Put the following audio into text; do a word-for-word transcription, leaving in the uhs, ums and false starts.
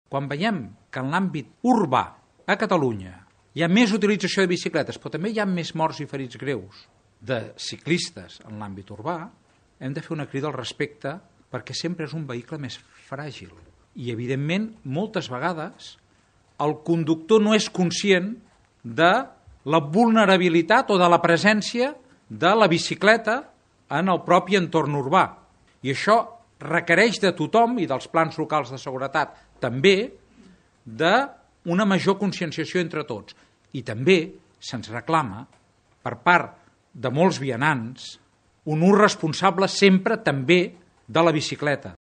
Quan veiem que en l'àmbit urbà a Catalunya hi ha més utilització de bicicletes, però també hi ha més morts i ferits greus de ciclistes en l'àmbit urbà, hem de fer una crida al respecte perquè sempre és un vehicle més fràgil. I, evidentment, moltes vegades el conductor no és conscient de la vulnerabilitat o de la presència de la bicicleta en el propi entorn urbà. I això requereix de tothom, i dels plans locals de seguretat també, d'una major conscienciació entre tots. I també se'ns reclama, per part de molts vianants, un ús responsable sempre també de la bicicleta.